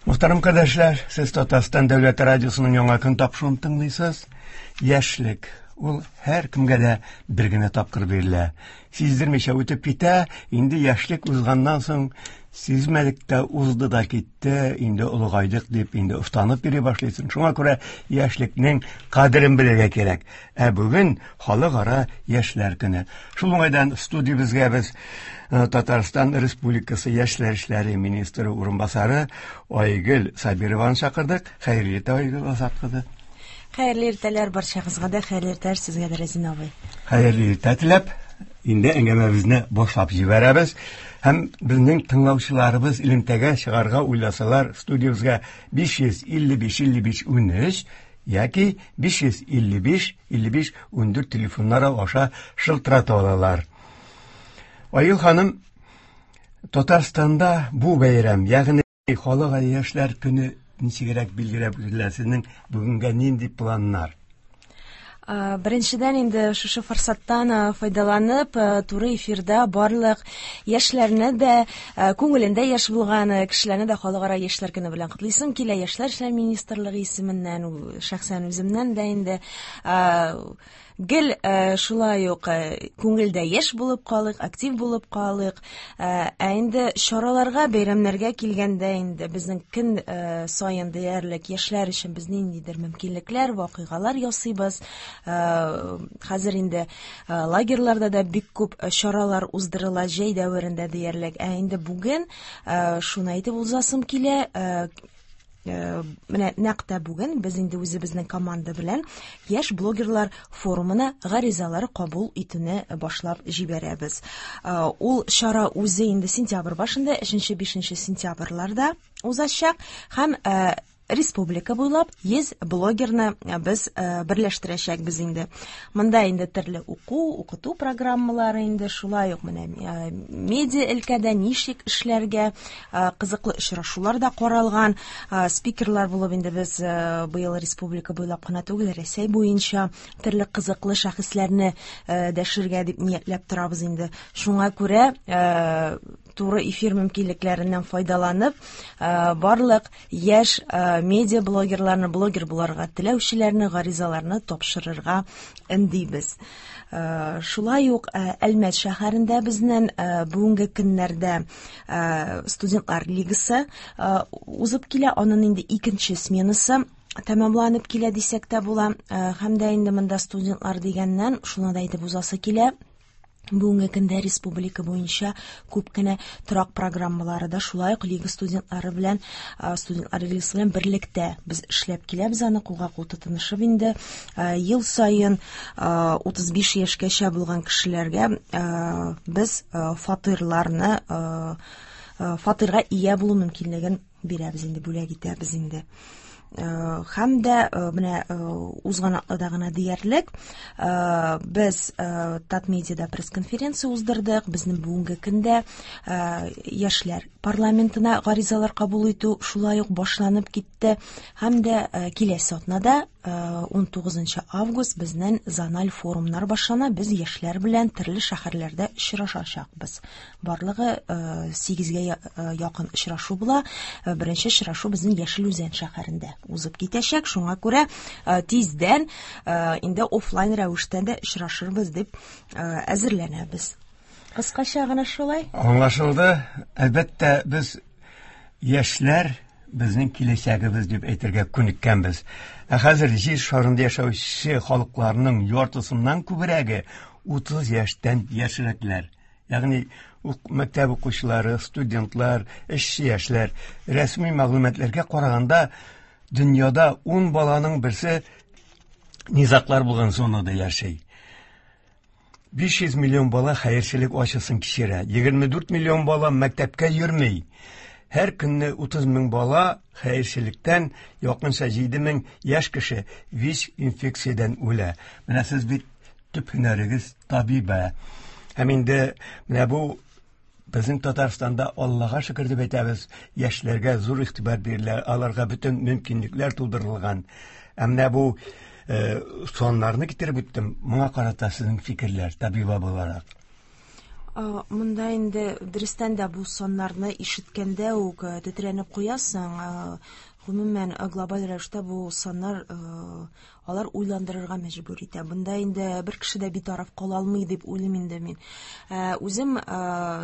Мөхтәрәм кардәшләр, сез Татарстан дәүләт радиосының яңа көн тапшыруын тыңлыйсыз. Яшьлек ул һәр кемгә дә бер генә тапкыр бирелә. Сиздермичә үтеп китә, инде яшьлек узганнан соң сизмәдек тә узды да китте, инде олыгайдык дип, инде офтанып йөри башлыйсың. Шуңа күрә яшьлекнең кадерен белергә кирәк. Ә бүген Халыкара яшьләр көне. Шул уңайдан студиябезгә без э, Татарстан Республикасы яшьләр эшләре министры урынбасары Айгөл Сабированы чакырдык. Хәерле иртә, Айгөл Азат кызы. Хәерле иртәләр барчагызга да, хәерле иртәләр сезгә дә, Рәзин абый. Хәерле иртә теләп, инде әңгәмәбезне башлап җибәрәбез. Һәм безнең тыңлаучыларыбыз элемтәгә чыгарга уйласалар, студиябезгә 555 55 13 яки 555 55 14 телефоннары аша шылтырата алалар. Айгөл ханым, Татарстанда бу бәйрәм, ягъни Халыкара яшьләр көне ничегрәк билгеләп үтелә? Сезнең бүгенгә нинди планнар? Беренчедән инде шушы форсаттан файдаланып, туры эфирда барлык яшьләрне дә, күңелендә яшь булган кешеләрне дә Халыкара яшьләр көне белән котлыйсым килә. Яшьләр эшләре министрлыгы исеменнән, шәхсән үземнән дә инде гел шулай ук күңелдә яшь булып калыйк, актив булып калыйк. Ә инде чараларга, бәйрәмнәргә килгәндә инде безнең көн саен диярлек яшьләр өчен без ниндидер мөмкинлекләр, вакыйгалар ясыйбыз. Хәзер инде лагерьларда да бик күп чаралар уздырыла җәй дәверендә диярлек. Ә инде бүген шуны әйтеп узасым килә, менә нәкъ тә бүген без инде үзебезнең команда белән яшь блогерлар форумына гаризалар кабул итүне башлап җибәрәбез. Ул чара үзе инде сентябрь башында, 3-5 сентябрьләрдә узачак һәм республика буйлап 100 блогерны без берләштерәчәкбез инде. Монда инде төрле уку, укыту программалары инде, шулай ук менә медиа өлкәдә ничек эшләргә, кызыклы очрашулар да каралган. Спикерлар булып инде без быел республика буйлап кына түгел, Рәсәй буенча төрле кызыклы шәхесләрне дәшергә дип ниятләп торабыз инде. Шуңа күрә туры эфир мөмкинлекләреннән файдаланып, барлык яшь медиа блогерларны, блогер буларга теләүчеләрне гаризаларны тапшырырга өндибез. Шулай ук Әлмәт шәһәрендә безнең бүгенге көннәрдә студентлар лигасы узып килә. Аның инде икенче сменасы тәмамланып килә дисәк тә була. Һәм дә инде монда студентлар дигәннән шуны да әйтеп узасы килә. Бүгенге көндә республика буенча күп кенә торак программалары да шулай ук лига студентлары белән, студентлар лигасы белән берлектә без эшләп киләбез, аны кулга-кул тотынышып инде. Ел саен 35 яшькәчә булган кешеләргә без фатирларны, фатирга ия булу мөмкинлеген бирәбез инде, бүләк итәбез инде. Һәм дә менә узган атнада гына диярлек без Татмедиада пресс-конференция уздырдык. Безнең бүгенге көндә яшьләр парламентына гаризалар кабул итү шулай ук башланып китте. Һәм дә киләсе атнада 19 август безнең зональ форумнар башлана. Без яшьләр белән төрле шәһәрләрдә очрашачакбыз. Барлыгы 8-гә якын очрашу була. Беренче очрашу безнең Яшел Үзән шәһәрендә узып китәчәк. Шуңа күрә тиздән инде офлайн рәвештә дә очрашырбыз дип әзерләнәбез. Кыскача гына шулай. Аңлашылды. Әлбәттә, без яшьләр безнең киләчәгебез дип әйтергә күнеккәнбез. Ә хәзер җир шарында яшәүче халыкларның яртысыннан күбрәге 30 яшьтән яшьрәкләр. Ягъни мәктәп укучылары, студентлар, эшче яшьләр. Рәсми мәгълүматларга караганда, дөньяда 10 баланың берсе низаклар булган зонада яши. 500 миллион бала хәерчелек ачысын кичерә. 24 миллион бала мәктәпкә йөрми. Һәр көнне 30 мең бала хәерчелектән, якынча 7 мең яшь кеше ВИЧ инфекциядән үлә. Менә сез бит төп һөнәрегез табибә. Һәм инде менә бу безнең Татарстанда Аллага шөкер дип әйтәбез, яшьләргә зур игътибар бирелә, аларга бөтен мөмкинлекләр тудырылган. Ә менә бу саннарны китереп үттем. Моңа карата сезнең фикерләр, табиба буларак. Монда инде дөрестән дә бу саннарны ишеткәндә үк тетрәнеп куясың. Гомумән, глобаль рәвештә бу саннар алар уйландырырга мәҗбүр итә. Монда инде бер кеше дә битараф кала алмый дип уйлыйм инде мин. Үзем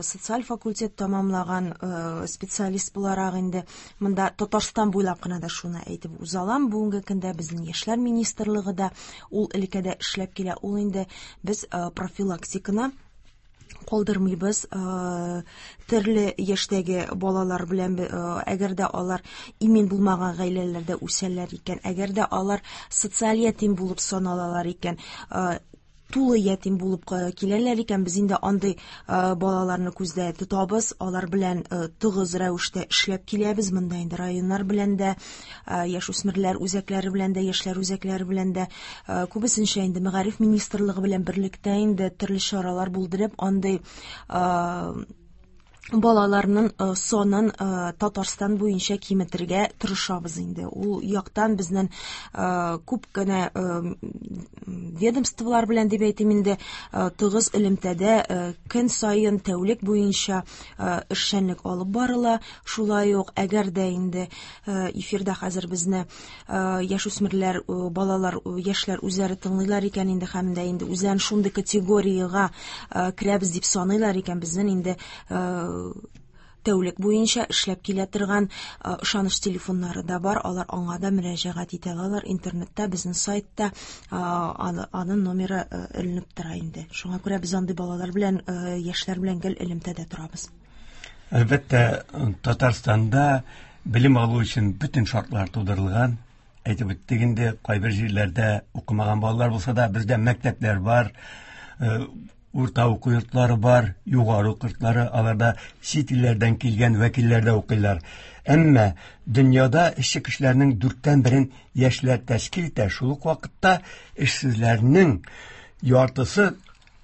социаль факультет тәмамлаган специалист буларак инде монда Татарстан буйлап кына да шуны әйтеп уза алам. Бүгенге көндә безнең яшьләр министрлыгы да ул өлкәдә эшләп килә. Ул инде без профилактиканы калдырмыйбыз. Төрле яшьтәге балалар белән, әгәр дә алар имин булмаган гаиләләрдә үсәләр икән, әгәр дә алар социаль ятим булып саналалар икән, тулы ятим булып киләләр икән, без инде андый балаларны күздә тотабыз, алар белән тыгыз рәвештә эшләп киләбез. Монда инде районнар белән дә, яшүсмерләр үзәкләре белән дә, яшьләр үзәкләре белән дә, күбесенчә инде мәгариф министрлыгы белән берлектә инде төрле чаралар булдырып, андый балаларның санын Татарстан буенча киметергә тырышабыз инде. Ул яктан безнең күп кенә ведомстволар белән дип әйтим инде, тыгыз элемтәдә көн саен тәүлек буенча эшчәнлек алып барыла. Шулай ук, әгәр дә инде эфирда хәзер безне яшүсмерләр, балалар, яшьләр үзләре тыңлыйлар икән инде һәм дә инде үзләрен шундый категориягә керәбез дип саныйлар икән, безнең инде тәүлек буенча эшләп килә торган ышаныч телефоннары да бар, алар аңа да мөрәҗәгать итә алалар. Интернетта, безнең сайтта аның номеры эленеп тора инде. Шуңа күрә без андый балалар белән, яшьләр белән гел элемтәдә торабыз. Әлбәттә, Татарстанда белем алу өчен бөтен шартлар тудырылган. Әйтеп үттек инде, кайбер җирләрдә укымаган балалар булса да, бездә мәктәпләр бар, урта уку йортлары бар, югары уку йортлары, аларда чит илләрдән килгән вәкилләр дә укыйлар. Әмма дөньяда эшче кешеләрнең дүрттән берен яшьләр тәшкил итә. Шул ук вакытта эшсезләрнең яртысы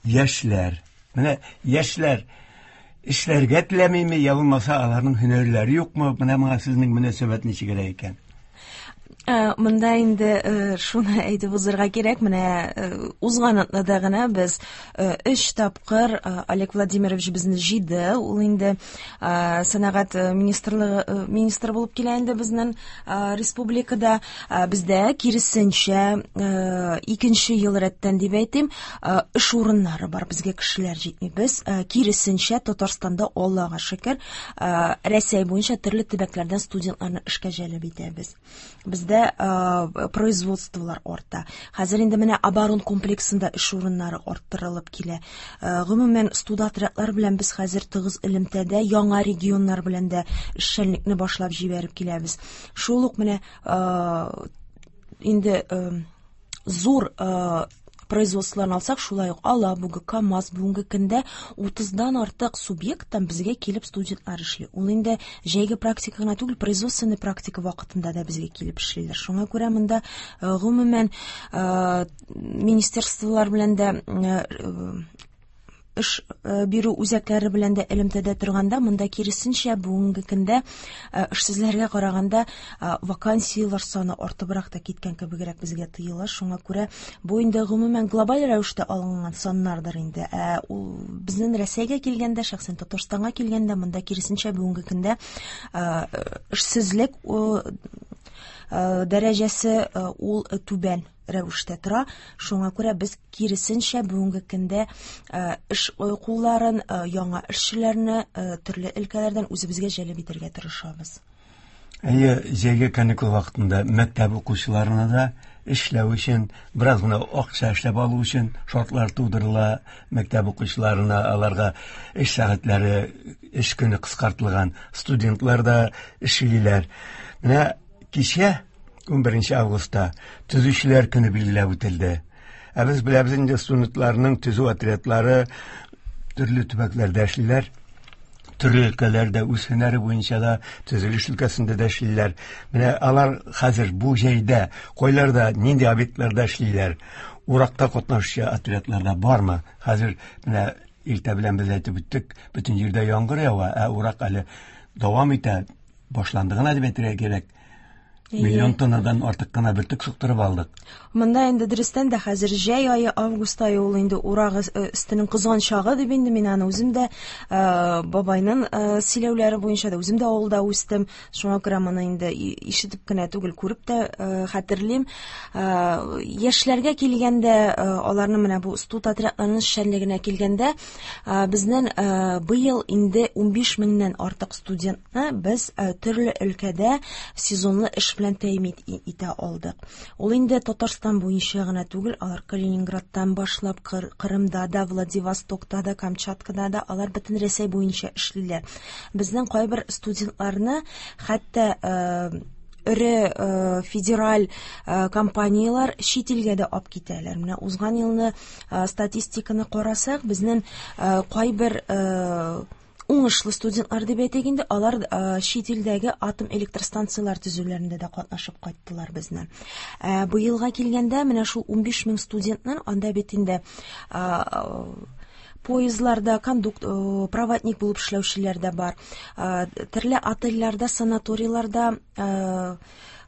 яшьләр. Менә яшьләр эшләргә теләмиме, я булмаса аларның һөнәрләре юкмы? Менә моңа сезнең мөнәсәбәт ничегрәк икән? Монда инде шуны әйтеп узырга кирәк, менә узган атнада гына без 3 тапкыр Олег Владимирович безне җыйды. Ул инде сәнәгать министрлыгы министры булып килә инде безнең республикада. Бездә киресенчә, икенче ел рәттән дип әйтим, эш урыннары бар, безгә кешеләр җитми. Без киресенчә Татарстанда, Аллага шөкер, Рәсәй буенча төрле төбәкләрдән студентларны эшкә җәлеп итәбез. Бездә производстволар арта. Хәзер инде менә оборон комплексында эш урыннары арттырылып килә. Гомумән, студотрядлар белән без хәзер тыгыз элемтәдә, яңа регионнар белән дә эшчәнлекне башлап җибәреп киләбез. Шул ук менә инде зур производстволарны алсак, шулай ук Алабуга, КАМАЗ бүгенге көндә 30-дан артык субъекттан безгә килеп студентлар эшли. Ул инде җәйге практика гына түгел, производственный практика вакытында да безгә килеп эшлиләр. Шуңа күрә монда гомумән министерстволар белән дә эш бирү үзәкләре белән дә элемтәдә торганда, монда киресенчә бүгенге көндә эшсезләргә караганда вакансияләр саны артыбрак та киткән кебегрәк безгә тоела. Шуңа күрә бу инде гомумән глобаль рәвештә алынган саннардыр инде. Ә ул безнең Рәсәйгә килгәндә, шәхсән Татарстанга килгәндә, монда киресенчә бүгенге көндә эшсезлек дәрәҗәсе ул түбән рәвештә тора. Шуңа күрә без киресенчә бүгенге көндә эш кулларын, яңа эшчеләрне төрле өлкәләрдән үзебезгә җәлеп итәргә тырышабыз. Әйе, җәйге каникул вакытында мәктәп укучыларына да эшләү өчен, бераз гына акча эшләп алу өчен шартлар тудырыла. Мәктәп укучыларына аларга эш сәгатьләре, эш көне кыскартылган, студентлар да эшлиләр. Менә кичә 11 августта төзүчеләр көне билгеләп үтелде. Ә без беләбез инде, студентларның төзү отрядлары төрле төбәкләрдә эшлиләр. Төрле өлкәләрдә үз һөнәре буенча да, төзелеш өлкәсендә дә эшлиләр. Менә алар хәзер бу җәйдә кайларда, нинди объектларда эшлиләр? Уракта катнашучы отрядларда бармы? Хәзер менә иртә белән без әйтеп үттек, бөтен җирдә яңгыр ява, ә урак әле дәвам итә, башланды гына дип әйтергә кирәк. Миллион тоннадан артык кына бөртек суктырып алдык. Монда инде дөрестән дә хәзер җәй ае, август ае ул инде урак өстенең кызган чагы дип инде мин аны үзем дә бабайның сөйләүләре буенча да үзем дә авылда үстем. Шуңа күрә моны инде ишетеп кенә түгел, күреп тә хәтерлим. Яшьләргә килгәндә, аларның менә бу студ отрядларының эшчәнлегенә килгәндә, безнең быел инде 15 меңнән артык студентны без төрле өлкәдә сезонлы эш белән тәэмин итә алдык. Ул инде Татарстан буенча гына түгел, алар Калининградтан башлап Кырымда да, Владивостокта да, Камчаткада да, алар бөтен Рәсәй буенча эшлиләр. Безнең кайбер студентларны хәтта эре федераль компанияләр чит илгә дә алып китәләр. Менә узган елны статистиканы карасак, безнең кайбер уңышлы студентлар дип әйтик инде, алар чит илдәге атом электростанцияләр төзүләрендә дә катнашып кайттылар безнең. Быелга килгәндә, менә шул 15 мең студентның анда бит инде поездларда кондук, проводник булып эшләүчеләр дә бар. Төрле отельләрдә, санаторийларда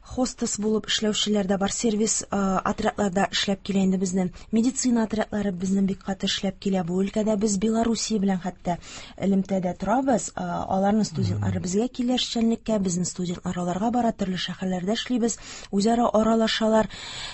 хостес булып эшләүчеләр дә бар, сервис отрядларда эшләп килә инде безнең. Медицина отрядлары безнең бик каты эшләп килә. Бу өлкәдә без Белоруссия белән хәтта элемтәдә торабыз. Аларның студентлары безгә килә эшчәнлеккә, безнең студентлар аларга бара, төрле шәһәрләрдә эшлибез, үзара аралашалар.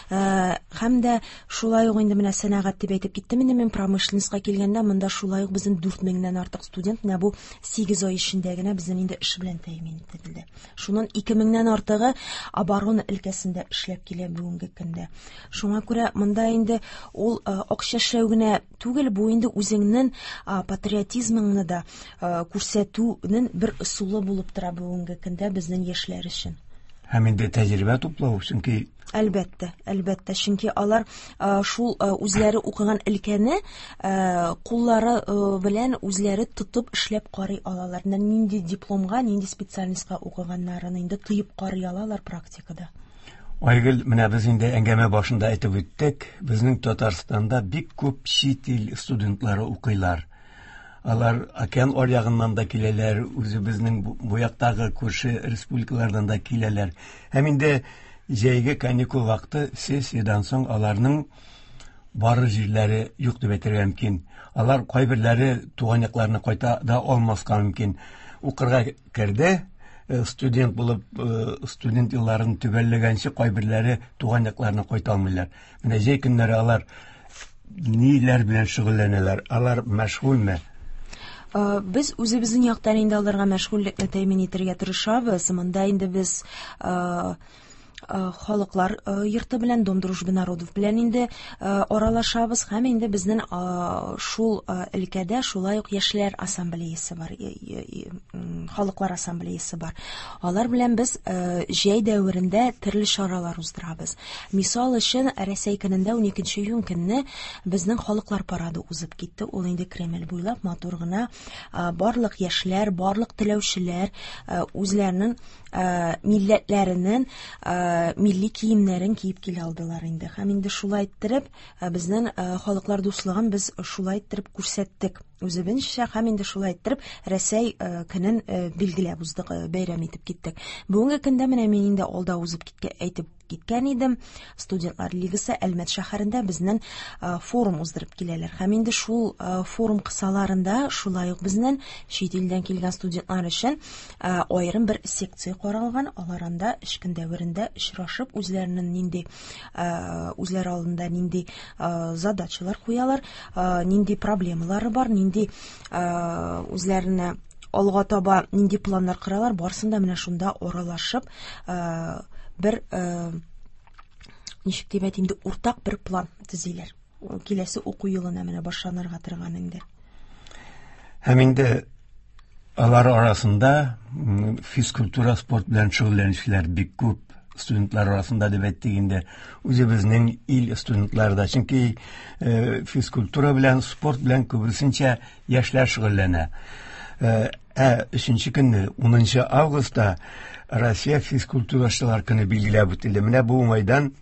Һәм дә шулай ук инде менә сәнәгать дип әйтеп киттем инде мин, промышленностька килгәндә, монда шулай ук безнең 4 меңнән артык студент менә бу 8 ай эчендә генә безнең инде эш белән тәэмин ителде. Шуннан 2 меңнән артыгы оборона өлкәсендә эшләп килә бүгенге көндә. Шуңа күрә монда инде ул акча эшләү генә түгел, бу инде үзеңнең патриотизмыңны да күрсәтүнең бер ысулы булып тора бүгенге көндә безнең яшьләр өчен. Һәм инде тәҗрибә туплау, чөнки Әлбәттә, әлбәттә, чөнки алар шул үзләре укыган өлкәне куллары белән үзләре тотып эшләп карый алалар. Менә нинди дипломга, нинди специальностька укыганнарын инде тоеп карый алалар практикада. Айгөл, менә без инде әңгәмә башында әйтеп үттек, безнең Татарстанда бик күп чит ил студентлары укыйлар. Алар океан аръягыннан да киләләр, үзебезнең бу яктагы күрше республикалардан да киләләр. Һәм инде җәйге каникул вакыты сессиядән соң аларның барыр җирләре юк дип әйтергә мөмкин. Алар кайберләре туган якларына кайта да алмаска мөмкин. Укырга керде, студент булып, студент елларын төгәлләгәнче кайберләре туган якларына кайта алмыйлар. Менә җәй көннәре алар ниләр белән шөгыльләнәләр? Алар мәшгульме? Без үзебезнең яктан инде аларга мәшгульлекне тәэмин итәргә тырышабыз. Монда инде без халыклар йорты белән, Дом дружбы народов белән инде аралашабыз һәм инде безнең шул өлкәдә шулай ук яшьләр ассамблеясы бар, халыклар ассамблеясы бар. Алар белән без җәй дәверендә төрле чаралар уздырабыз. Мисал өчен, Рәсәй көнендә 12 июнь көнне безнең халыклар парады узып китте. Ул инде Кремль буйлап матур гына барлык яшьләр, барлык теләүчеләр үзләренең милләтләренең милли киемнәрен киеп килә алдылар инде. Һәм инде шулай иттереп безнең халыклар дуслыгын без шулай иттереп күрсәттек үзебезчә, һәм инде шулай иттереп Рәсәй көнен билгеләп уздык, бәйрәм итеп киттек. Бүгенге көндә менә мин инде алда узып киткән әйтеп киткән идем. Студентлар лигасы Әлмәт шәһәрендә безнең форум уздырып киләләр. Һәм инде шул форум кысаларында шулай ук безнең чит илдән килгән студентлар өчен аерым бер секция каралган. Алар анда эш көн дәверендә очрашып, үзләренең нинди, үзләре алдында нинди задачалар куялар, нинди проблемалары бар, нинди үзләренә алга таба нинди планнар коралар, барысын да менә шунда аралашып, бер ничек дип әйтим инде, уртак бер план төзиләр. Киләсе уку елына менә башланырга торган инде. Һәм инде алар арасында физкультура, спорт белән шөгыльләнүчеләр бик күп студентлар арасында дип әйттек инде, үзебезнең ил студентлары да. Чөнки физкультура белән, спорт белән күбесенчә яшьләр шөгыльләнә. Ә өченче көнне, 10 августта Россия физкультурачылар көне билгеләп үтелде. Менә бу уңайдан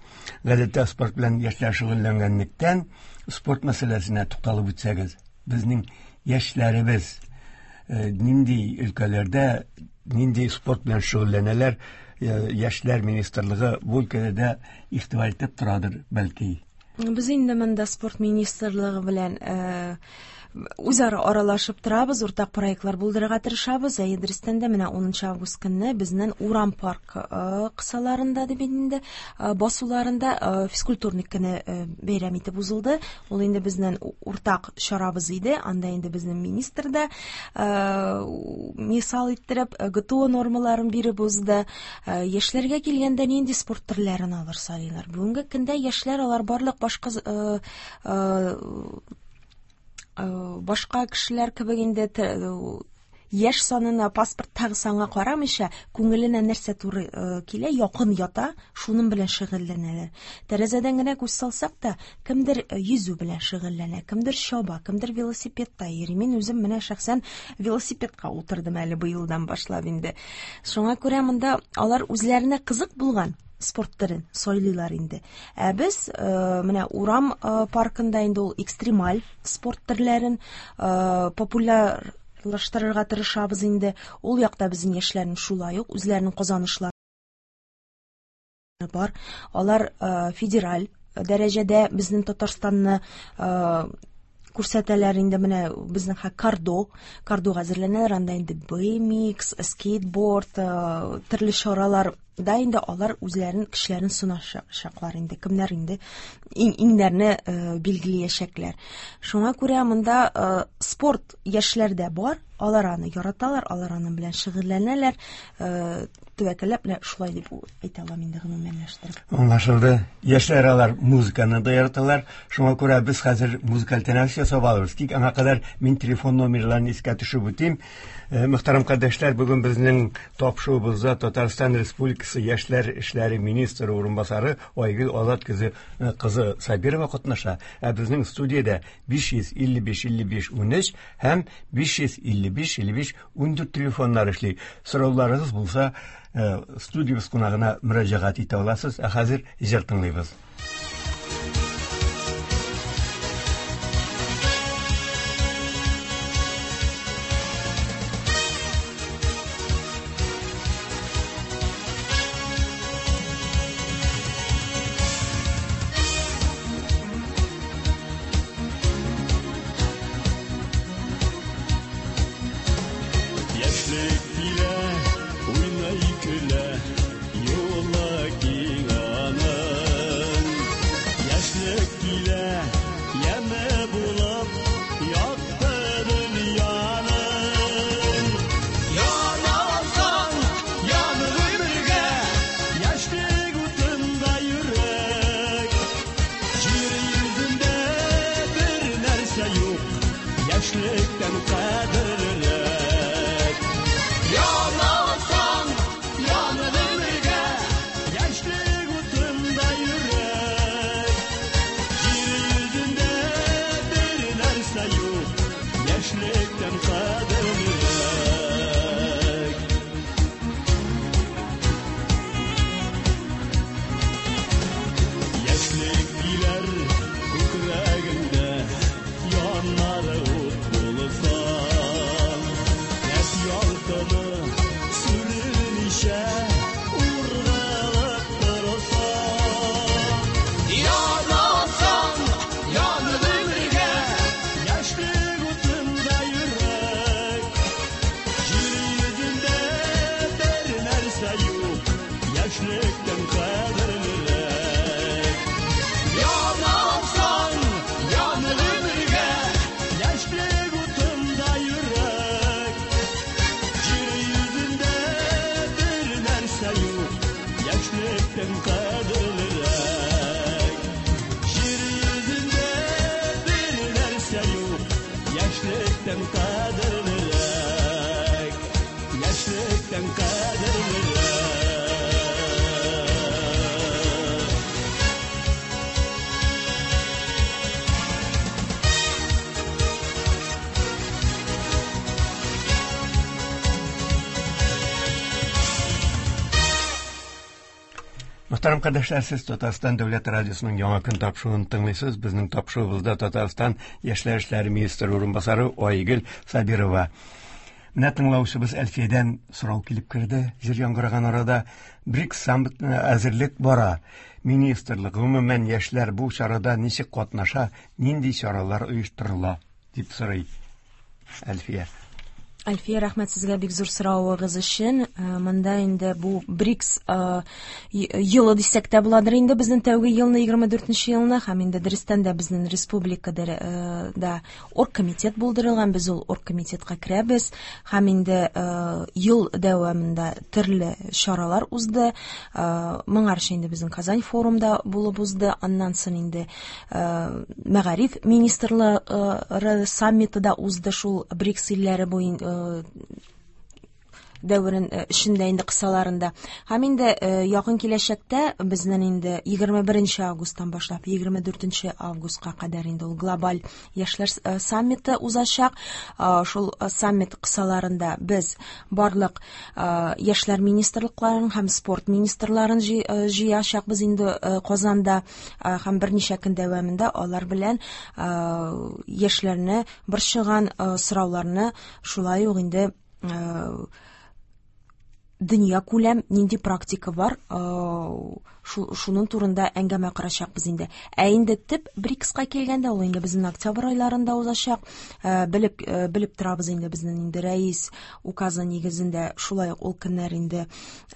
гадәттә спорт белән яшьләр шөгыльләнгәнлектән спорт мәсьәләсенә тукталып үтсәгез, безнең яшьләребез нинди өлкәләрдә, нинди спорт белән шөгыльләнәләр, Яшьләр министрлыгы бу өлкәдә дә игътибар итеп торадыр, бәлки. Без инде монда спорт министрлыгы белән үзара аралашып торабыз, уртак проектлар булдырырга тырышабыз. Әйе, дөрестән дә менә 10 август көнне безнең Урам парк кысаларында дип инде басуларында физкультурник көне бәйрәм итеп узылды. Ул инде безнең уртак чарабыз иде. Анда инде безнең министр да мисал иттереп ГТО нормаларын биреп узды. Яшьләргә килгәндә нинди спорт төрләрен алар сайлыйлар? Бүгенге көндә яшьләр алар барлык башка башка кешеләр кебек инде яшь санына, паспорттагы санга карамыйча, күңеленә нәрсә туры килә, якын ята, шуның белән шөгыльләнәләр. Тәрәзәдән генә күз салсак та, кемдер йөзү белән шөгыльләнә, кемдер чаба, кемдер велосипедта йөри. Мин үзем менә шәхсән велосипедка утырдым әле быелдан башлап инде. Шуңа күрә монда алар үзләренә кызык булган спорт төрен сайлыйлар инде. Ә без менә Урам паркында инде ул экстремаль спорт төрләрен популярлаштырырга тырышабыз инде. Ул якта безнең яшьләрнең шулай ук үзләренең казанышлары бар. Алар федераль дәрәҗәдә безнең Татарстанны күрсәтәләр инде. Менә безнең кардога әзерләнәләр, анда инде BMX, скейтборд, төрле чаралар да инде алар үзләрен, кешеләрен сыначаклар инде, кемнәр инде иңнәрне билгеләячәкләр. Шуңа күрә монда спорт яшьләрдә бар, алар аны яраталар, алар аның белән шөгыльләнәләр. Тәвәккәлләп менә шулай дип әйтә алам инде гомумәнләштереп. Аңлашылды. Яшьләр алар музыканы да яраталар. Шуңа күрә без хәзер музыкаль тәнәфес ясап алырбыз. Тик аңа кадәр мин телефон номерларын искә төшереп үтим. Мөхтәрәм кардәшләр, бүген безнең тапшыруыбызда Татарстан Республикасы Яшьләр эшләре министры урынбасары Айгөл Азат кызы Сабирова катнаша. Ә безнең студиядә 555 55 13 һәм 555 55 14 телефоннар эшли. Сорауларыгыз булса, студиябез кунагына мөрәҗәгать итә аласыз. Ә хәзер җыр тыңлыйбыз. Яшьлек килә, уйный, көлә, юлы киң аның. Яшьлек килә, яме булып, якты дөньяның. Янасаң, ян гомергә, яшьлек утында йөрәк. Җир йөзендә бер нәрсә юк, яшьлектән кадерлерәк. Янасаң, ян гомергә, яшьлек утында йөрәк. Җир йөзендә бер нәрсә юк, яшьлектән кадерлерәк. Яшьлек килер күкрәгеңдә, яннары ут булса. Яшь ялкыны сүрелмичә ургылып торса. Янасаң, ян гомергә, яшьлек утында йөрәк. Җир йөзендә бер нәрсә юк, яшьлектән кадерлерәк. Янасаң, ян гомергә, яшьлек утында йөрәк. Җир йөзендә бер нәрсә юк, яшьлектән кадерлерәк. Җир йөзендә бер нәрсә юк, яшьлектән кадерлерәк. Яшьлектән кадерлерәк. Мөхтәрәм кардәшләр, сез Татарстан Дәүләт радиосының Яңа көн тапшыруын тыңлыйсыз. Безнең тапшыруыбызда Татарстан Яшьләр эшләре министры урынбасары Айгөл Сабирова. Менә тыңлаучыбыз Әлфиядән сорау килеп керде. Җыр яңгыраган арада БРИКС саммитына әзерлек бара. Министрлык, гомумән, яшьләр бу чарада ничек катнаша, нинди чаралар оештырыла, дип сорый Әлфия. Әлфия, рәхмәт сезгә бик зур соравыгыз өчен. Монда инде бу БРИКС елы дисәк тә буладыр инде безнең тәүге елны, 24 елны, һәм инде дөрестән дә безнең республикада да оргкомитет булдырылган, без ул оргкомитетка керәбез һәм инде ел дәвамында төрле чаралар узды. Моңарчы инде безнең Казань форумда булып узды, аннан соң инде мәгариф министрлары саммиты да узды шул БРИКС илләре буен дәверен эчендә инде кысаларында. Һәм инде якын киләчәктә безнең инде 21 августтан башлап 24 августка кадәр инде ул глобаль яшьләр саммиты узачак. Шул саммит кысаларында без барлык яшьләр министрлыкларын һәм спорт министрларын җыячакбыз инде Казанда һәм берничә көн дәвамында алар белән яшьләрне борчыган сорауларны шулай ук инде дөнья күләм нинди практика бар, шуның турында әңгәмә корачакбыз инде. Ә инде төп БРИКСка килгәндә, ул инде безнең октябрь айларында узачак. Белеп торабыз инде безнең инде рәис указы нигезендә шулай ук ул көннәр инде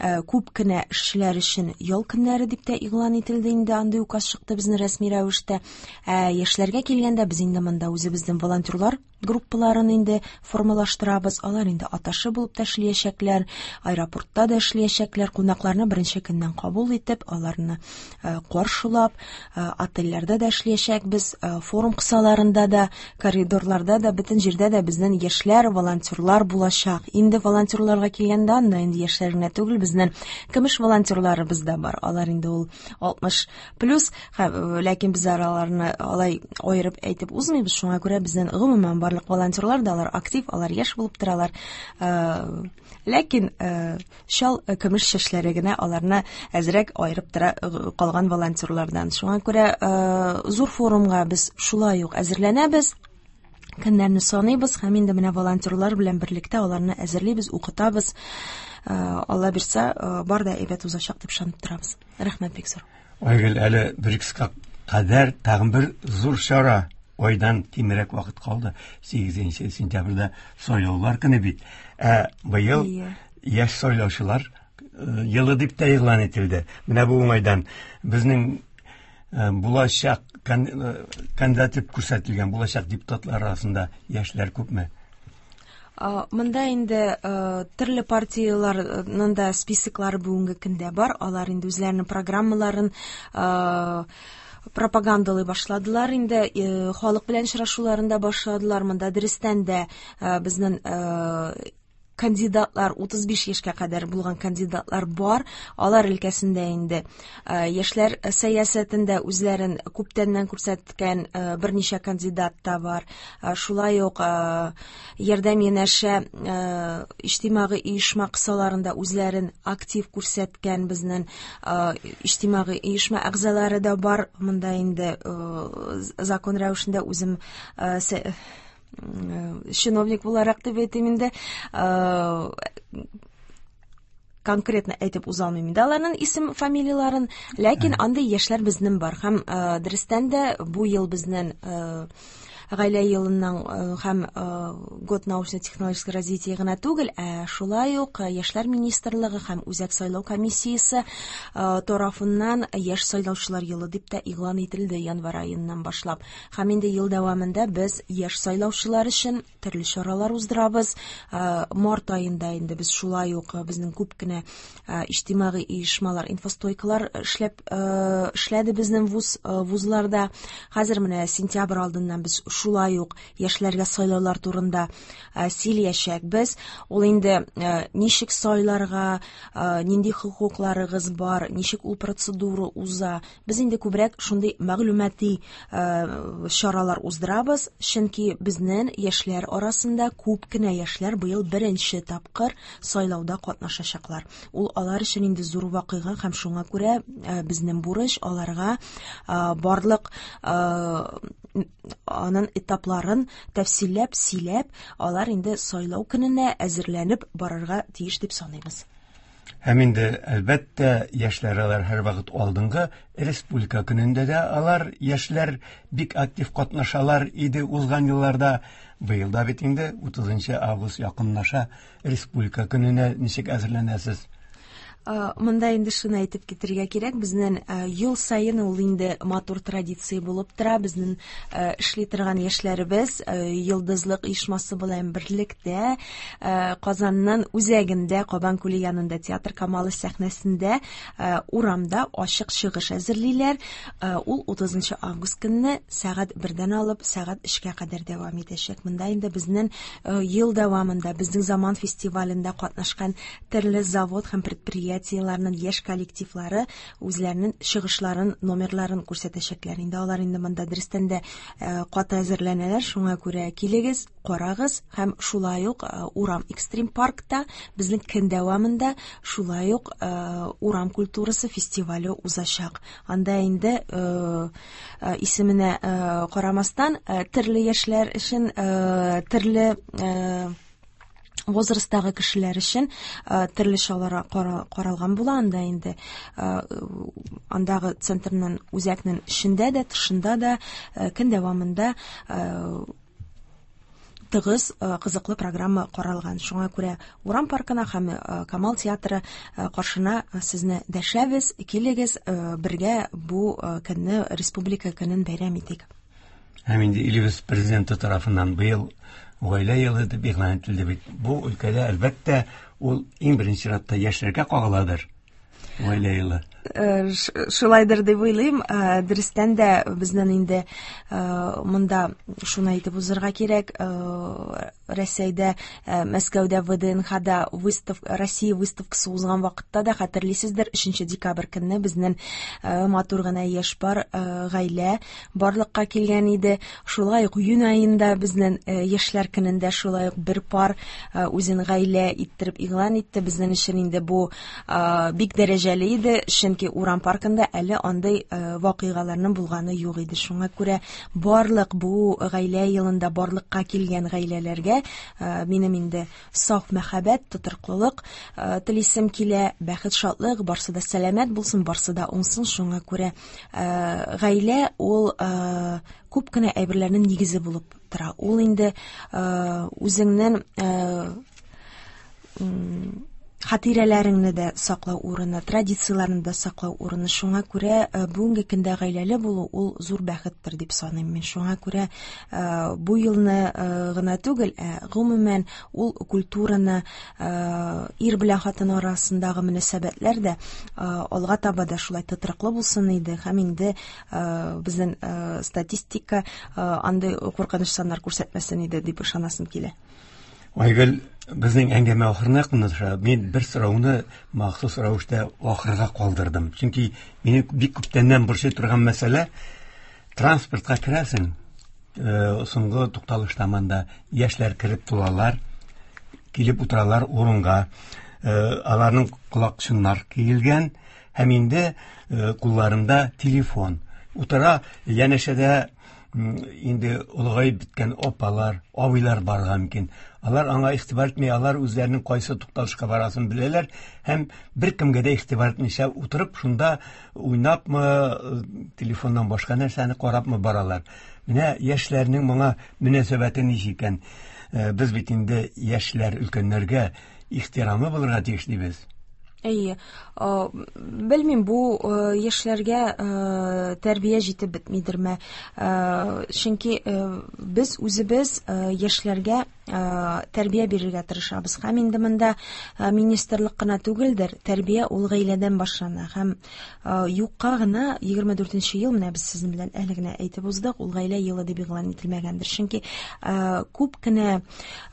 күп кенә эшчеләр өчен ял көннәре дип тә игълан ителде инде, андый указ чыкты безнең рәсми рәвештә. Ә яшьләргә килгәндә без инде монда үзебезнең волонтерлар группаларын инде формалаштырабыз. Алар инде аташы булып та эшләячәкләр, аэропортта да эшләячәкләр, кунакларны беренче көннән кабул итеп, аларны каршылап, отельләрдә дә эшләячәкбез, форум кысаларында да, коридорларда да, бөтен җирдә дә безнең яшьләр, волонтерлар булачак. Инде волонтерларга килгәндә, анда инде яшьләр генә түгел, безнең көмеш волонтерларыбыз да бар. Алар инде ул 60 плюс, ләкин без аларны алай аерып әйтеп узмыйбыз. Шуңа күрә безнең гомумән барлык волонтерлар да алар актив, алар яшь булып торалар. Ләкин чал көмеш чәчләре генә аларны әзрәк аерып тора калган волонтерлардан. Шуңа күрә зур форумга без шулай ук әзерләнәбез. Көннәрне саныйбыз һәм инде менә волонтерлар белән берлектә аларны әзерлибез, укытабыз. Алла бирсә, бар да әйбәт узачак дип ышанып торабыз. Рәхмәт бик зур. Айгөл, әле БРИКСка кадәр тагын бер зур чара, айдан кимрәк вакыт калды. 8 сентябрьдә сайлаулар көне бит. Ә быел яшь сайлаучылар елы дип тә игълан ителде. Менә бу уңайдан безнең булачак кандидат дип күрсәтелгән булачак депутатлар арасында яшьләр күпме? Монда инде төрле партияләрнең дә списоклары бүгенге көндә бар. Алар инде үзләренең программаларын пропагандалый башладылар инде, халык белән очрашуларын да башладылар. Монда дөрестән дә безнең кандидатлар, 35 яшькә кадәр булган кандидатлар бар. Алар өлкәсендә инде яшьләр сәясәтендә үзләрен күптәннән күрсәткән берничә кандидат та бар. Шулай ук ярдәм янәшә иҗтимагый оешма кысаларында үзләрен актив күрсәткән безнең иҗтимагый оешма әгъзалары да бар. Монда инде закон рәвешендә үзем чиновник буларак дип әйтим инде, конкретно әйтеп уза алмыйм инде аларның исем фамилияләрен, ләкин андый яшьләр безнең бар. Һәм дөрестән дә бу ел безнең гаилә елыннан һәм год научно-технологического развития гына түгел, ә шулай ук яшьләр министрлыгы һәм Үзәк сайлау комиссиясе тарафыннан яшь сайлаучылар елы дип тә игълан ителде январь аеннан башлап. Һәм инде ел дәвамында без яшь сайлаучылар өчен төрле чаралар уздырабыз. Март аенда инде без шулай ук безнең күп кенә иҗтимагый оешмалар, инфостойкалар эшләде безнең вузларда. Хәзер менә сентябрь алдыннан без шулай ук яшьләргә сайлаулар турында сөйләячәкбез. Ул инде ничек сайларга, нинди хокукларыгыз бар, ничек ул процедура уза. Без инде күбрәк шундый мәгълүмати чаралар уздырабыз, чөнки безнең яшьләр арасында күп кенә яшьләр быел беренче тапкыр сайлауда катнашачаклар. Ул алар өчен инде зур вакыйга һәм шуңа күрә безнең бурыч аларга барлык аның Аның этапларын тәфсилләп сөйләп, алар инде сайлау көненә әзерләнеп барырга тиеш дип саныйбыз. Һәм инде, әлбәттә, яшьләр алар һәрвакыт алдынгы. Республика көнендә дә алар, яшьләр, бик актив катнашалар иде узган елларда. Быел да бит инде 30 август якынлаша. Республика көненә ничек әзерләнәсез? Монда инде шуны әйтеп китергә кирәк, безнең ел саен ул инде матур традиция булып тора. Безнең эшли торган яшьләребез Йолдызлык оешмасы белән берлектә Казанның үзәгендә, Кабан күле янында Театр Камалы сәхнәсендә урамда ачык чыгыш әзерлиләр. Ул 30 август көнне сәгать 1-дән алып сәгать 3-кә кадәр дәвам итәчәк. Монда инде безнең ел дәвамында Безнең заман фестивалендә катнашкан төрле завод һәм предприятиеләрнең яшь коллективлары үзләренең чыгышларын, номерларын күрсәтәчәкләр. Инде алар инде монда дөрестән дә каты әзерләнәләр, шуңа күрә килегез, карагыз һәм шулай ук урам экстрим паркта безнең көн дәвамында шулай ук урам культурасы фестивале узачак. Анда инде исеменә карамастан төрле яшьләр өчен төрле возрасттагы кешеләр өчен төрле чаралар каралган була. Анда инде андагы центрның, үзәкнең эчендә дә, тышында да көн дәвамында тыгыз, кызыклы программа каралган. Шуңа күрә урам паркына һәм Камал театры каршына сезне дәшәбез. Килегез, бергә бу көнне, Республика көнен бәйрәм итик. Һәм инде илебез президенты тарафыннан быел Гаилә елы дип игълан ителде бит. Бу өлкәдә, әлбәттә, ул иң беренче чиратта яшьләргә кагыладыр. Гаилә елы. Шулайдыр дип уйлыйм. Дөрестән дә, безнең инде монда шуны әйтеп узырга кирәк. Рәсәйдә, Мәскәүдә ВДНХда выстав, Россия выставкасы узган вакытта да, хәтерлисездер, 3 декабрь көнне безнең матур гына яшь пар, гаилә барлыкка килгән иде. Шулай ук июнь аенда безнең яшьләр көнендә шулай ук бер пар үзен гаилә иттереп игълан итте. Безнең өчен инде бу бик дәрәҗәле иде, чөнки урам паркында әле андый вакыйгаларның булганы юк иде. Шуңа күрә барлык бу Гаилә елында барлыкка килгән гаиләләргә минем инде саф мәхәббәт, тотрыклылык телисем килә, бәхет, шатлык, барсы да сәламәт булсын, барсы да уңсын. Шуңа күрә гаилә ул күп кенә әйберләрнең нигезе булып тора. Ул инде үзеңнең хатирәләреңне дә саклау урыны, традицияләрне дә саклау урыны. Шуңа күрә бүгенге көндә гаиләле булу ул зур бәхеттер дип саныйм мин. Шуңа күрә бу елны гына түгел, ә гомумән ул культураны, ир белән хатын арасындагы мөнәсәбәтләр дә алга таба да шулай тотрыклы булсын иде. Һәм инде безнең статистика андый куркыныч саннар күрсәтмәсен иде дип ышанасым килә. Айгөл, безнең әңгәмә ахырына якынлаша. Мин бер сорауны махсус рәвештә ахырга калдырдым. Чөнки мине бик күптәннән борчый торган мәсьәлә: транспортка керәсең, соңгы тукталышта монда яшьләр кереп тулалар, килеп утыралар урынга. Аларның колакчыннар киелгән һәм инде кулларында телефон. Утыра, янәшәдә инде олыгаеп беткән апалар, абыйлар барырга мөмкин. Алар аңа игътибар итми, алар үзләренең кайсы тукталышка барасын беләләр һәм беркемгә дә игътибар итмичә утырып, шунда уйнапмы, телефоннан башка нәрсәне карапмы баралар. Менә яшьләрнең моңа мөнәсәбәте ничек икән? Без бит инде яшьләр өлкәннәргә ихтирамлы булырга тиеш дибез. Әйе. Белмим, бу яшьләргә тәрбия җитеп бетмидерме? Чөнки без үзебез яшьләргә тәрбия бирергә тырышабыз. Һәм инде монда министрлык кына түгелдер, тәрбия ул гаиләдән башлана. Һәм юкка гына 24 ел, менә без сезнең белән әле генә әйтеп уздык, ул Гаилә елы дип игълан ителмәгәндер. Чөнки күп кенә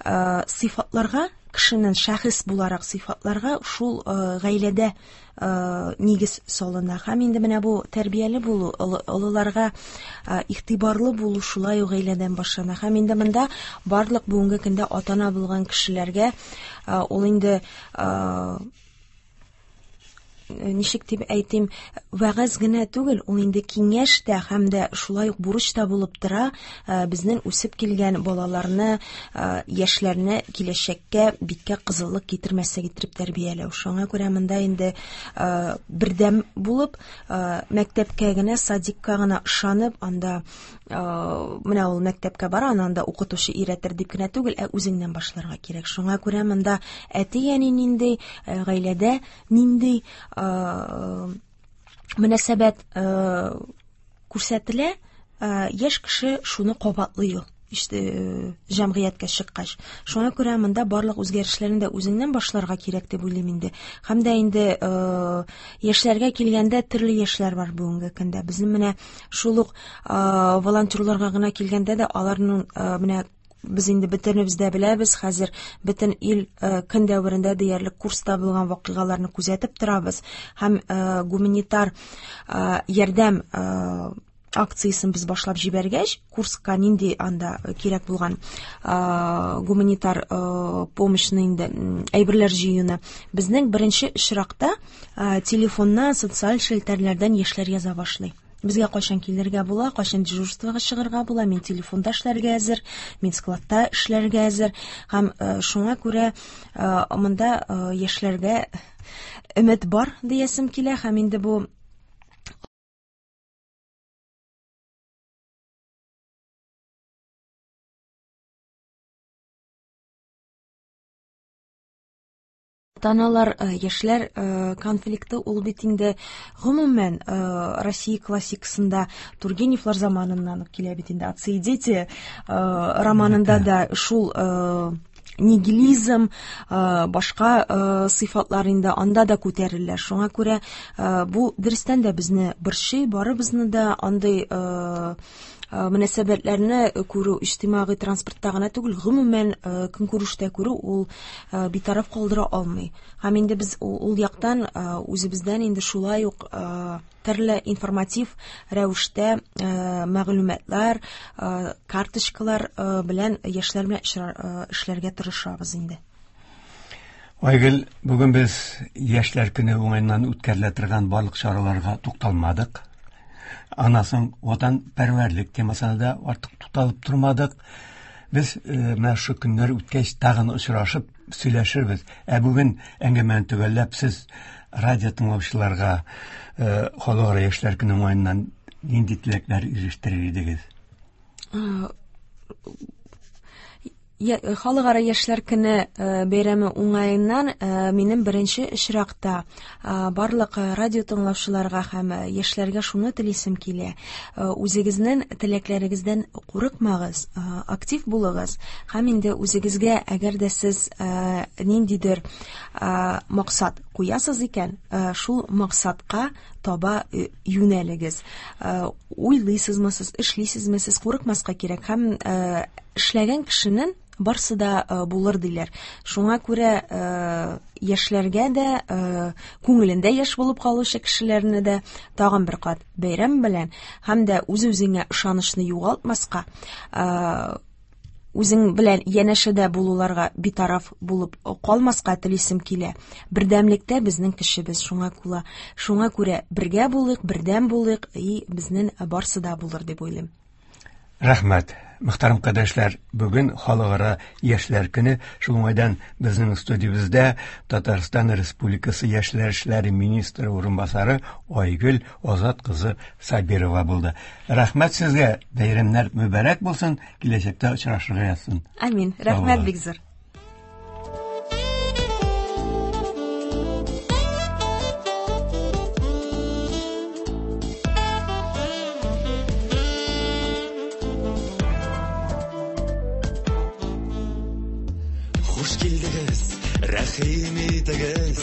сыйфатларга, кешенең шәхес буларак сыйфатларга шул гаиләдә нигез салына. Һәм инде менә бу тәрбияле булу, олыларга игътибарлы булу шулай ук гаиләдән башлана. Һәм инде монда барлык бүгенге көндә ата-ана булган кешеләргә ул инде ничек дип әйтим, вәгазь генә түгел, ул инде киңәш тә һәм дә шулай ук бурыч та булып тора, безнең үсеп килгән балаларны, яшьләрне киләчәккә биткә кызыллык китермәслек итеп тәрбияләү. Шуңа күрә монда инде бердәм булып, мәктәпкә генә, садикка гына ышанып, анда менә ул мәктәпкә бара, аны анда укытучы өйрәтер дип кенә түгел, ә үзеңнән башларга кирәк. Шуңа күрә монда әти-әни нинди, гаиләдә нинди мөнәсәбәт күрсәтелә, яшь кеше шуны кабатлый ул җәмгыятькә чыккач. Шуңа күрә монда барлык үзгәрешләрне дә үзеңнән башларга кирәк дип уйлыйм инде. Һәм дә инде яшьләргә килгәндә төрле яшьләр бар бүгенге көндә. Безнең менә шул ук волонтерларга гына килгәндә дә аларның менә без инде бөтенебез дә беләбез, хәзер бөтен ил көн дәверендә диярлек курста булган вакыйгаларны күзәтеп торабыз һәм гуманитар ярдәм акциясен без башлап җибәргәч, курска нинди анда кирәк булган гуманитар помощьны инде әйберләр җыюны безнең беренче очракта телефоннан, социаль челтәрләрдән яшьләр яза башлый. Безгә кайчан килергә була, кайчан дежурствога чыгарга була, мин телефонда эшләргә әзер, мин складта эшләргә әзер. Һәм шуңа күрә монда яшьләргә өмет бар диясем килә, һәм инде бу Ата-аналар, яшьләр конфликты ул бит инде гомумән Россия классикасында Тургеневлар заманыннан ук килә бит инде. Отцы и дети романында да шул нигилизм, башка сыйфатлар инде анда да күтәрелә. Шуңа күрә бу дөрестән дә безне борчый, барыбызны да андый мөнәсәбәтләрне күрү иҗтимагый транспортта гына түгел, гомумән көнкүрештә күрү ул битараф калдыра алмый. Һәм инде без ул яктан үзебездән инде шулай ук төрле информатив рәвештә мәгълүматлар, карточкалар белән яшьләр белән эшләргә тырышабыз инде. Айгөл, бүген без Яшьләр көне уңаеннан үткәрелә торган барлык чараларга тукталмадык. Аннан соң ватанпәрвәрлек темасына да артык тукталып тормадык. Без менә шу көннәр үткәч тагын очрашып сөйләшербез. Ә бүген әңгәмәне төгәлләп сез радио тыңлаучыларга Халыкара яшьләр көне уңаеннан нинди теләкләр ирештерер идегез? Халыкара яшьләр көне бәйрәме уңаеннан минем беренче очракта барлык радио тыңлаучыларга һәм яшьләргә шуны телисем килә. Үзегезнең теләкләрегездән курыкмагыз, актив булыгыз һәм инде үзегезгә, әгәр дә сез ниндидер максат куясыз икән, шул максатка таба юнәлегез. Уйлыйсызмы сез, эшлисезме сез, курыкмаска кирәк һәм эшләгән кешенең барсы да булыр диләр. Шуңа күрә яшьләргә дә, күңелендә яшь булып калучы кешеләрне дә тагын бер кат бәйрәм белән һәм дә үз-үзеңә ышанычны югалтмаска, үзең белән янәшәдә булуларга битараф булып калмаска телисем килә. Бердәмлектә безнең көчебез, шуңа күрә бергә булыйк, бердәм булыйк, и безнең барсы да булыр дип уйлыйм. Рәхмәт. Мөхтәрәм кардәшләр, бүген Халыкара яшьләр көне. Шул уңайдан безнең студиябездә Татарстан Республикасы яшьләр эшләре министры урынбасары Айгөл Азат кызы Сабирова булды. Рәхмәт сезгә, бәйрәмнәр мөбарәк булсын, киләчәктә очрашырга язсын. Амин. Рәхмәт бик зур. Хуш килдегез, рәхим итегез.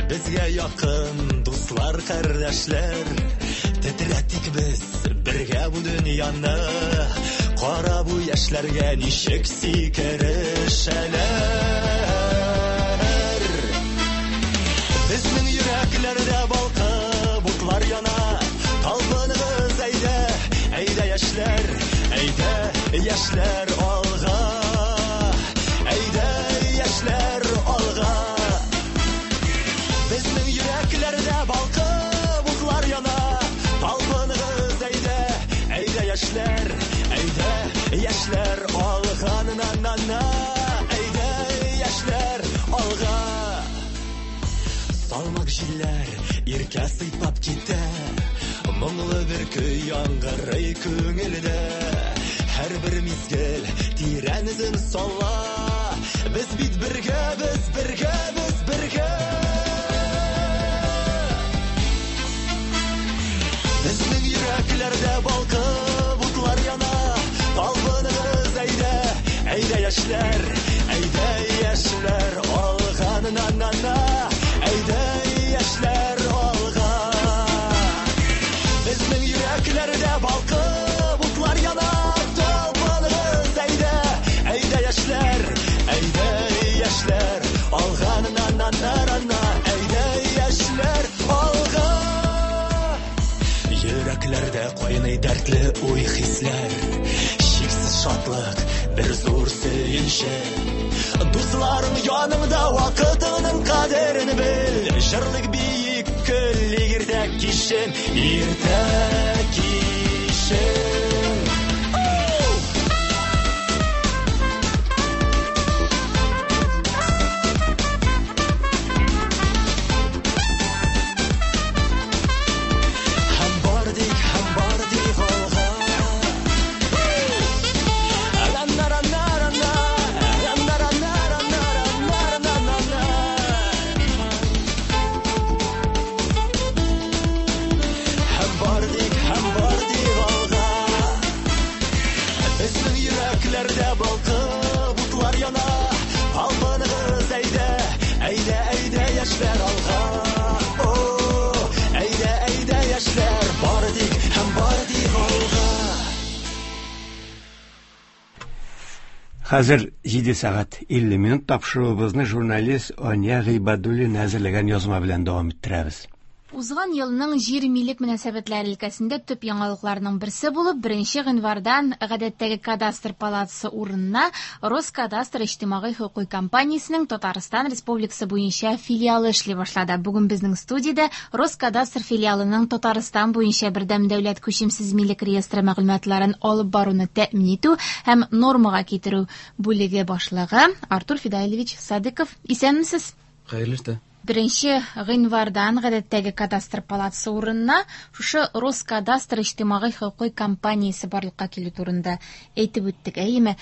Безгә якын дуслар, кардәшләр. Тетрәтик без бергә бу дөньяны. Кара бу яшьләргә ничек сикерешәләр. Безнең йөрәкләрдә балкып утлар яна. Талпыныгыз әйдә, әйдә яшьләр, әйдә яшьләр алга. Әйдә яшьләр алга. Безнең йөрәкләрдә Җилләр иркә сыйпап китә. Моңлы бер көй яңгырый күңелдә. Һәрбер мизгел тирән эзен сала. Без бит бергә, без бергә, без бергә. Безнең йөрәкләрдә балкып утлар яна. Талпыныгыз, әйдә, әйдә, яшьләр, әйдә, яшьләр, алга, на на на, әйдә, яшьләр, алга. Безнең йөрәкләрдә балкып утлар яна. Талпыныгыз, әйдә, әйдә, яшьләр, әйдә, яшьләр, алга, на на на на, әйдә, яшьләр, алга. Йөрәкләрдә кайный дәртле уй хисләр, чиксез шатлык, бер зур сөенче. Дусларың яныңда, вакытыңның кадерен бел. Җырлык, биик, көлик иртә кичен, иртә кичен. Оу! Һәм бар дик, һәм бар дик алга. Ра-на-ра-на-ра-на, ра-на-ра-на-ра-на-ра-на-на-на. Һәм бар дик, һәм бар дик алга. Безнең йөрәкләрдә балкып утлар яна. Талпыныгыз, әйдә, әйдә, әйдә, яшьләр, алга. О, әйдә, әйдә, яшьләр, бар дик һәм бар дик алга. Хәзер 7 сәгать 50 минут. Тапшыруыбызны журналист Ания Гыйбадуллина әзерләгән язма белән дәвам иттерәбез. Узган елның җир милек мөнәсәбәтләре өлкәсендә төп яңалыкларның берсе булып, 1 гыйнвардан гадәттәге кадастр палатасы урынына Роскадастр иҗтимагый хокукый компаниясенең Татарстан Республикасы буенча филиалы эшли башлады. Бүген безнең студиядә Роскадастр филиалының Татарстан буенча бердәм дәүләт күчемсез милек реестры мәгълүматларын алып баруны тәэмин итү һәм нормага китерү бүлеге башлыгы Артур Фидаилевич Садыков. Исәнмесез? Хәерле иртә. 1 гыйнвардан гадәттәге кадастр палатасы урынына шушы Роскадастр иҗтимагый хокукый компаниясе барлыкка килү турында әйтеп үттек, әйеме?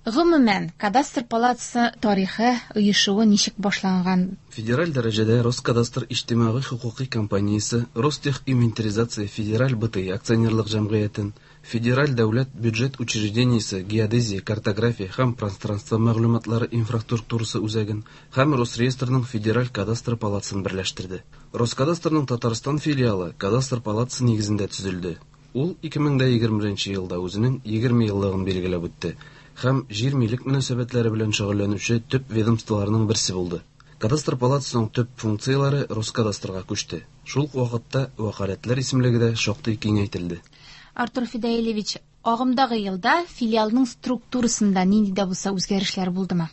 Гомумән, кадастр палатасы тарихы, оешуы ничек башланган? Федераль дәрәҗәдә Роскадастр иҗтимагый хокукый компаниясе Ростех инвентаризация федераль БТИ акционерлык җәмгыятен, Федераль дәүләт бюджет учреждениесе геодезия, картография һәм пространство мәгълүматлары инфраструктурасы үзәген һәм Росреестрның Федераль кадастр палатасын берләштерде. Роскадастрның Татарстан филиалы кадастр палатасы нигезендә төзелде. Ул 2021 елда үзенең 20 еллыгын билгеләп үтте һәм җир милек мөнәсәбәтләре белән шөгыльләнүче төп ведомстволарның берсе булды. Кадастр палатасының төп функцияләре Роскадастрга күчте. Шул ук вакытта вәкаләтләр исемлеге дә шактый киңәйтелде. Артур Фидаилевич, агымдагы елда филиалның структурасында нинди дә булса үзгәрешләр булдымы?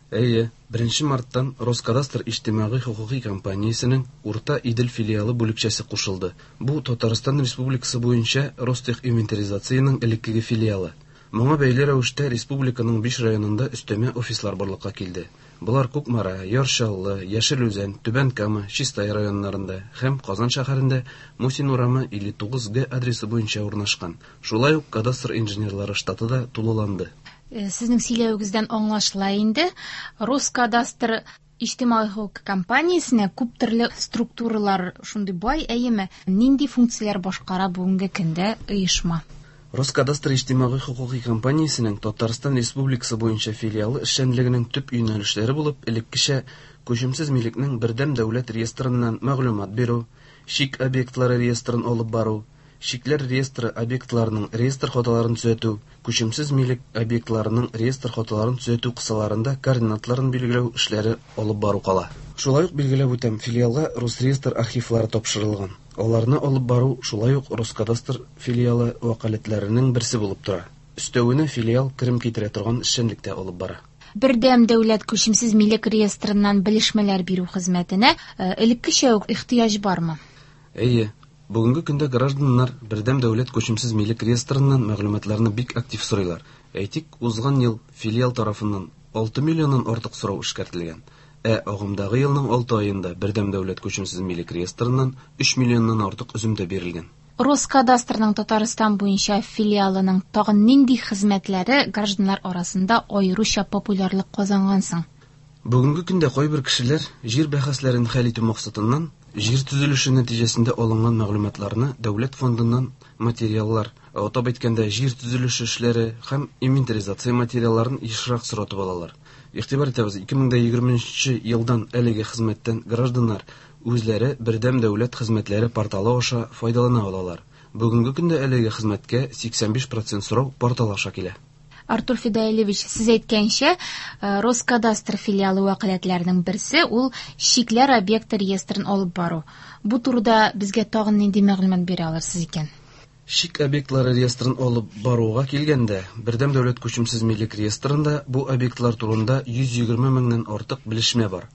Әйе, 1 марттан Роскадастр иҗтимагый хокукый компаниясенең Урта Идел филиалы бүлекчәсе кушылды. Бу Татарстан Республикасы буенча Ростех инвентаризациянең элеккеге филиалы. Моңа бәйле рәвештә республиканың 5 районында өстәмә офислар барлыкка килде. Болар Кукмара, Яр Чаллы, Яшел Үзән, Түбән Кама, Чистай районнарында һәм Казан шәһәрендә Мусин урамы 59 Г адресы буенча урнашкан. Шулай ук кадастр инженерлары штаты да тулыланды. Сезнең сөйләвегездән аңлашыла инде, Роскадастр иҗтимагый хокук компаниясенә күп төрле структуралар шундый бай, әйеме? Нинди функцияләр башкара бүгенге көндә оешма? Роскадастр иҗтимагый хокукый компаниясенең Татарстан Республикасы буенча филиалы эшчәнлегенең төп юнәлешләре булып элеккечә күчемсез милекнең бердәм дәүләт реестрыннан мәгълүмат бирү, чик объектлары реестрын алып бару, чикләр реестры объектларының реестр хаталарын төзәтү, күчемсез милек объектларының реестр хаталарын төзәтү кысаларында координатларын билгеләү эшләре алып бару кала. Шулай ук билгеләп үтәм, филиалга Росреестр архивлары тапшырылган. Аларны алып бару шулай ук Роскадастр филиалы вәкаләтләренең берсе булып тора. Өстәвенә филиал керем китерә торган эшчәнлек тә алып бара. Бердәм дәүләт күчемсез милек реестрыннан белешмәләр бирү хезмәтенә элеккечә үк ихтыяҗ бармы? Әйе. Бүгенге көндә гражданнар бердәм дәүләт күчемсез милек реестрыннан мәгълүматларны бик актив сорыйлар. Әйтик, узган ел филиал тарафыннан 6 миллионнан артык сорау эшкәртелгән. Ә агымдагы елның 6 аенда Бердәм дәүләт күчемсез милек реестрыннан 3 миллионнан артык өземтә бирелгән. Роскадастрның Татарстан буенча филиалының тагын нинди хезмәтләре гражданнар арасында аеруча популярлык казанган соң? Бүгенге көндә кайбер кешеләр җир бәхәсләрен хәл итү максатыннан җир төзелеше нәтиҗәсендә алынган мәгълүматларны дәүләт фондыннан материаллар, атап әйткәндә, җир төзелеше эшләре һәм инвентаризация материалларын ешрак соратып алалар. Игътибар итәбез, 2020 елдан әлеге хезмәттән гражданнар үзләре Бердәм дәүләт хезмәтләре порталы аша файдалана алалар. Бүгенге көндә әлеге хезмәткә 85% сорау портал аша килә. Артур Фидаилевич, сез әйткәнчә, Роскадастр филиалы вәкаләтләренең берсе ул чикләр объекты реестрын алып бару. Бу турыда безгә тагын нинди мәгълүмат бирә алырсыз икән? Чик объектлары реестрын алып баруга килгәндә, Бердәм дәүләт күчемсез милек реестрында бу объектлар турында 120 меңнән артык белешмә бар.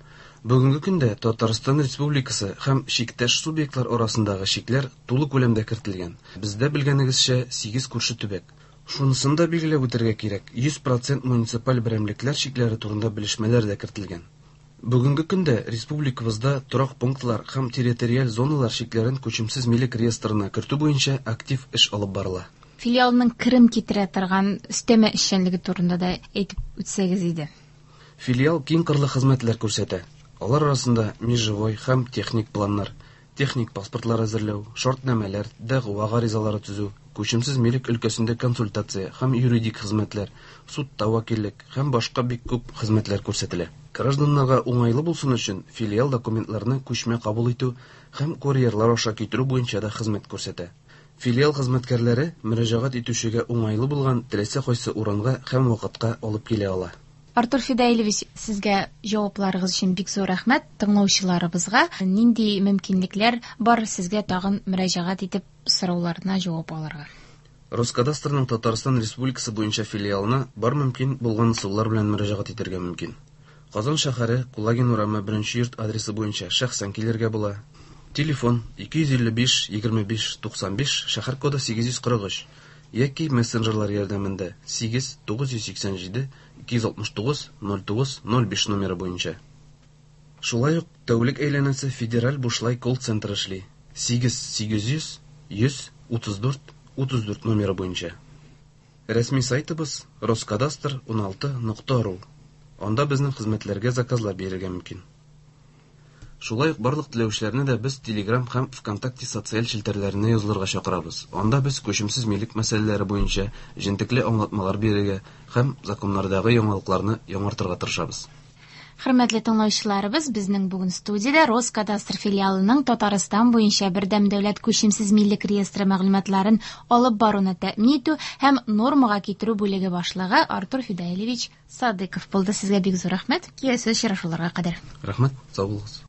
Бүгенге көндә Татарстан Республикасы һәм чиктәш субъектлар арасындагы чикләр тулы күләмдә кертелгән. Бездә белгәнегезчә 8 күрше төбәк. Шунысын да билгеләп үтәргә кирәк, 100% муниципаль берәмлекләр чикләре турында белешмәләр дә кертелгән. Бүгенге көндә республикабызда торак пунктлар һәм территориаль зоналар чикләрен күчемсез милек реестрына кертү буенча актив эш алып барыла. Филиалның керем китерә торган өстәмә эшчәнлеге турында да әйтеп үтсәгез иде. Филиал киң кырлы хезмәтләр күрсәтә. Алар арасында межевой һәм техник планнар, техник паспортлар әзерләү, шартнамәләр, дәгъва гаризалары төзү, күчемсез милек өлкәсендә консультация һәм юридик хезмәтләр, судта вәкиллек һәм башка бик күп хезмәтләр күрсәтелә. Гражданнарга уңайлы булсын өчен филиал документларны күчмә кабул итү һәм курьерлар аша китерү буенча да хезмәт күрсәтә. Филиал хезмәткәрләре мөрәҗәгать итүчегә уңайлы булган теләсә кайсы урынга һәм вакытка алып килә ала. Артур Фидаилевич, сезгә җавапларыгыз өчен бик зур рәхмәт. Тыңлаучыларыбызга нинди мөмкинлекләр бар сезгә тагын мөрәҗәгать итеп сорауларына җавап алырга? Роскадастрның Татарстан Республикасы буенча филиалына бар мөмкин булган ысуллар белән мөрәҗәгать итәргә мөмкин. Казан шәһәре, Кулагин урамы, 1 йорт адресы буенча шәхсән килергә була. Телефон 255 25 95, шәһәр коды 843 яки мессенджерлар ярдәмендә 8 987 269 09 05 номеры буенча. Шулай ук тәүлек әйләнәсе федераль бушлай колл-центр эшли. 8 800 100 34 34 номеры буенча. Рәсми сайтыбыз roskadastr16.ru. Анда безнең хезмәтләргә заказлар бирергә мөмкин. Шулай ук барлык теләүчеләрне дә без Telegram һәм ВКонтакте социаль челтәрләренә язылырга чакырабыз. Анда без күчемсез милек мәсьәләләре буенча җентекле аңлатмалар бирергә һәм законнардагы яңалыкларны яңартырга тырышабыз. Хөрмәтле тыңлаучыларыбыз, безнең бүген студиядә Роскадастр филиалының Татарстан буенча бердәм дәүләт күчемсез милек реестры мәгълүматларын алып баруны тәэмин итү һәм нормага китерү бүлеге башлыгы Артур Фидаилевич Садыков булды. Сезгә бик зур рәхмәт. Киләсе очрашуларга кадәр. Рәхмәт, сау булыгыз.